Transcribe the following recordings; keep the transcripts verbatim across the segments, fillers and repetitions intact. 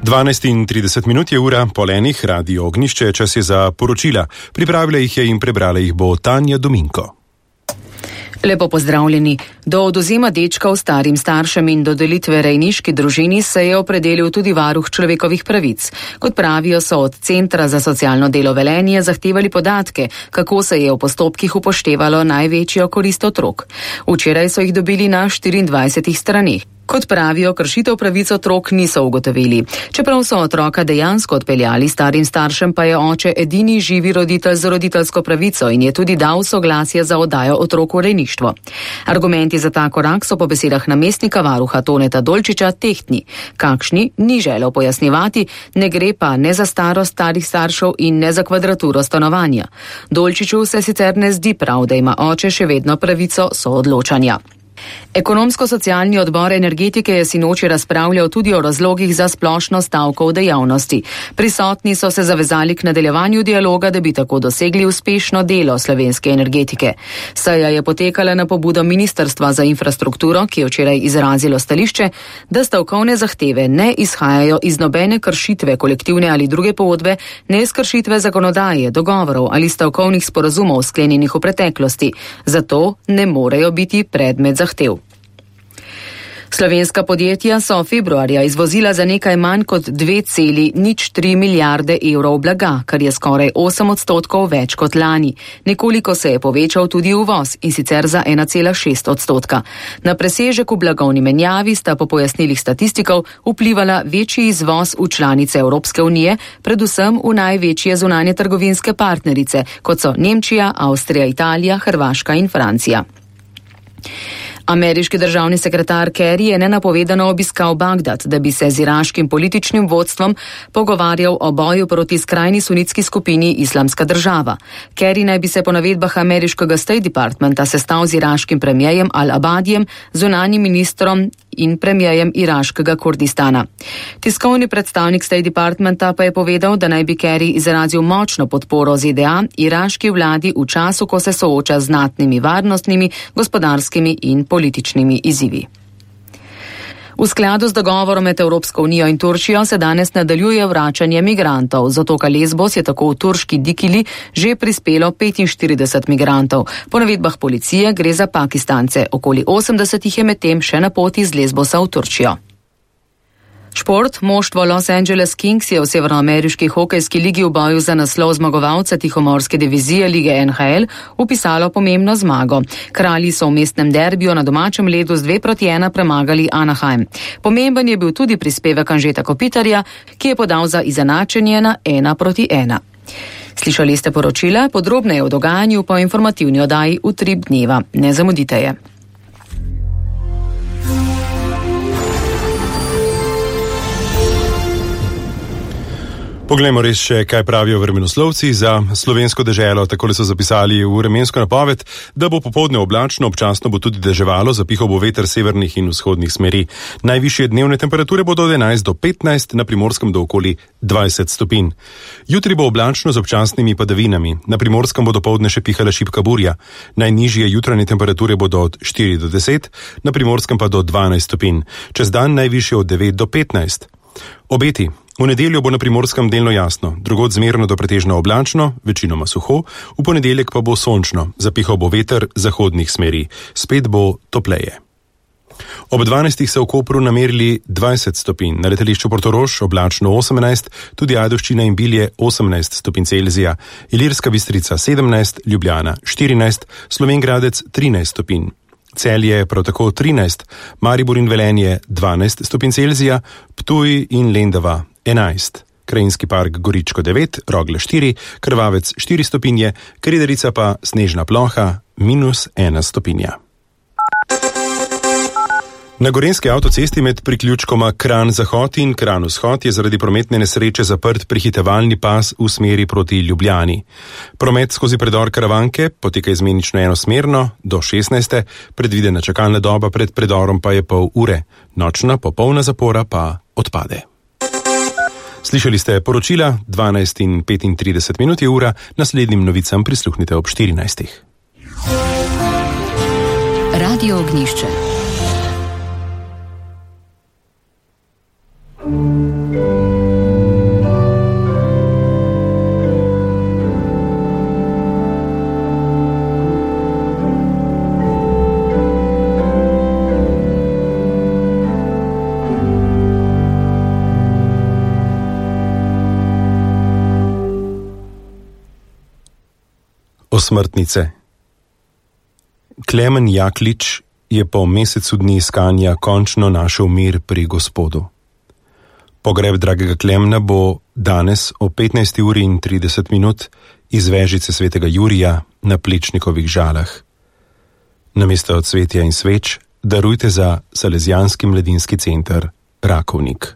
dvanajst in trideset minut je ura, pol enih, Radio Ognjišče, čas je za poročila. Pripravila jih je in prebrala jih bo Tanja Dominko. Lepo pozdravljeni. Do odvzema dečkov starim staršem in dodelitve rejniški družini se je opredelil tudi varuh človekovih pravic. Kot pravijo, so od Centra za socialno delo Velenje zahtevali podatke, kako se je v postopkih upoštevalo največjo korist otrok. Včeraj so jih dobili na štiriindvajsetih straneh. Kot pravijo, kršitev pravic otrok niso ugotovili. Čeprav so otroka dejansko odpeljali starim staršem, pa je oče edini živi roditelj z roditeljsko pravico in je tudi dal soglasje za oddajo otrok v rejništvo. Argumenti za ta korak so po besedah namestnika varuha Toneta Dolčiča tehtni. Kakšni ni želel pojasnjevati, ne gre pa ne za starost starih staršev in ne za kvadraturo stanovanja. Dolčiču se sicer ne zdi prav, da ima oče še vedno pravico soodločanja. Ekonomsko-socialni odbor energetike je sinoči razpravljal tudi o razlogih za splošno stavko v dejavnosti. Prisotni so se zavezali k nadaljevanju dialoga, da bi tako dosegli uspešno delo slovenske energetike. Seja je potekala na pobudo Ministrstva za infrastrukturo, ki je včeraj izrazilo stališče, da stavkovne zahteve ne izhajajo iz nobene kršitve kolektivne ali druge pogodbe, ne iz kršitve zakonodaje, dogovorov ali stavkovnih sporazumov sklenjenih v preteklosti. Zato ne morejo biti predmet zahtev. Slovenska podjetja so februarja izvozila za nekaj manj kot dve celi nič tri milijarde evrov blaga, kar je skoraj osem odstotkov več kot lani. Nekoliko se je povečal tudi uvoz, in sicer za ena cela šest odstotka. Na presežek v blagovni menjavi sta po pojasnilih statistikov vplivala večji izvoz v članice Evropske unije, predvsem v največje zunanje trgovinske partnerice, kot so Nemčija, Avstrija, Italija, Hrvaška in Francija. Ameriški državni sekretar Kerry je nenapovedano obiskal Bagdad, da bi se z iraškim političnim vodstvom pogovarjal o boju proti skrajni sunitski skupini Islamska država. Kerry naj bi se po navedbah ameriškega State Departmenta sestal z iraškim premijejem Al-Abadijem, zunanjim ministrom in premijejem iraškega Kurdistana. Tiskovni predstavnik State Departmenta pa je povedal, da naj bi Kerry izrazil močno podporo Z D A iraški vladi v času, ko se sooča z znatnimi varnostnimi, gospodarskimi in političnimi izzivi. V skladu z dogovorom med Evropsko unijo in Turčijo se danes nadaljuje vračanje migrantov. Z otoka Lesbos je tako v turški Dikili že prispelo petinštirideset migrantov. Po navedbah policije gre za Pakistance. Okoli osemdeset jih je medtem še na poti z Lesbosa v Turčijo. Šport. Moštvo Los Angeles Kings je v severnoameriški hokejski ligi v boju za naslov zmagovalca tihomorske divizije lige N H L upisalo pomembno zmago. Kralji so v mestnem derbiju na domačem ledu z dve proti ena premagali Anaheim. Pomemben je bil tudi prispevek Anžeta Kopitarja, ki je podal za izenačenje na ena proti ena. Slišali ste poročila, podrobneje o dogajanju po informativni oddaji Utrip dneva. Ne zamudite je. Poglejmo res še, kaj pravijo vremenoslovci za slovensko deželo. Takole so zapisali v vremensko napoved, da bo popoldne oblačno, občasno bo tudi deževalo, zapihal bo veter severnih in vzhodnih smeri. Najvišje dnevne temperature bodo od enajst do petnajst, na Primorskem do okoli dvajset stopinj. Jutri bo oblačno z občasnimi padavinami. Na Primorskem bo dopoldne še pihala šibka burja. Najnižje jutranje temperature bodo od štiri do deset, na Primorskem pa do dvanajst stopinj. Čez dan najvišje od devet do petnajst. Obeti. V nedeljo bo na Primorskem delno jasno, drugod zmerno do pretežno oblačno, večinoma suho, v ponedeljek pa bo sončno, zapihal bo veter zahodnih smeri, spet bo topleje. Ob dvanajstih se v Kopru namerili dvajset stopinj, na letališču Portorož oblačno osemnajst, tudi Ajdovščina in Bilje osemnajst stopinj Celzija, Ilirska Bistrica sedemnajst, Ljubljana štirinajst, Slovenj Gradec trinajst stopinj. Celje prav tako trinajst, Maribor in Velenje dvanajst stopinj Celzija, Ptuj in Lendava enajst, Krajinski park Goričko devet, Rogle štiri, Krvavec štiri stopinje, Krederica pa snežna ploha minus ena stopinja. Na Gorenjski avtocesti med priključkoma Kranj-Zahod in Kranj-Vzhod je zaradi prometne nesreče zaprt prehitevalni pas v smeri proti Ljubljani. Promet skozi predor Karavanke poteka izmenično enosmerno do šestnajste, predvidena čakalna doba pred predorom pa je pol ure, nočna popolna zapora pa odpade. Slišali ste poročila, dvanajst in petintrideset minut je ura, naslednjim novicam prisluhnite ob štirinajstih. Radio Ognjišče. Osmrtnice. Klemen Jaklič je po mesecu dni iskanja končno našel mir pri Gospodu. Pogreb dragega Klemna bo danes o petnajsti uri in trideset minut iz vežice svetega Jurija na Plečnikovih Žalah. Namesto cvetja in sveč darujte za Salesijanski mladinski center Rakovnik.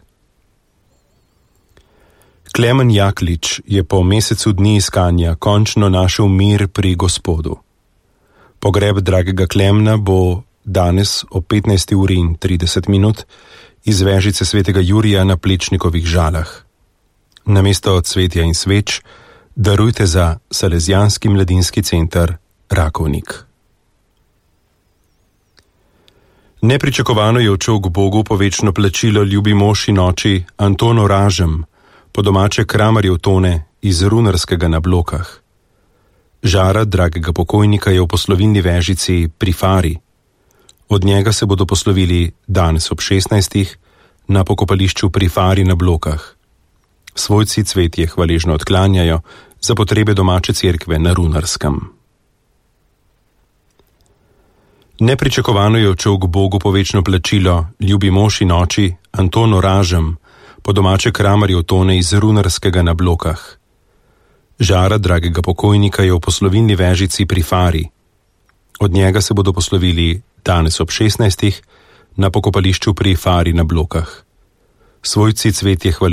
Klemen Jaklič je po mesecu dni iskanja končno našel mir pri Gospodu. Pogreb dragega Klemna bo danes o petnajsti uri in trideset minut iz vežice svetega Jurija na Plečnikovih Žalah. Namesto cvetja in sveč darujte za Salesijanski mladinski center Rakovnik. Nepričakovano je odšel k Bogu po večno plačilo ljubi mož in oči Anton Oražem, po domače kramarjev tone iz Runarskega na Blokah. Žara dragega pokojnika je v poslovilni vežici pri Fari. Od njega se bodo poslovili danes ob šestnajstih na pokopališču pri Fari na Blokah. Svojci cvetje hvaležno odklanjajo za potrebe domače cerkve na Runarskem. Nepričakovano je odšel k Bogu po večno plačilo ljubi mož in oči Anton Oražem, po domače kramarjev tone iz Runarskega na Blokah. Žara dragega pokojnika je v poslovilni vežici pri Fari. Od njega se bodo poslovili danes ob šestnajstih na pokopališču pri Fari na Blokah. Svojci cvetje hvaležno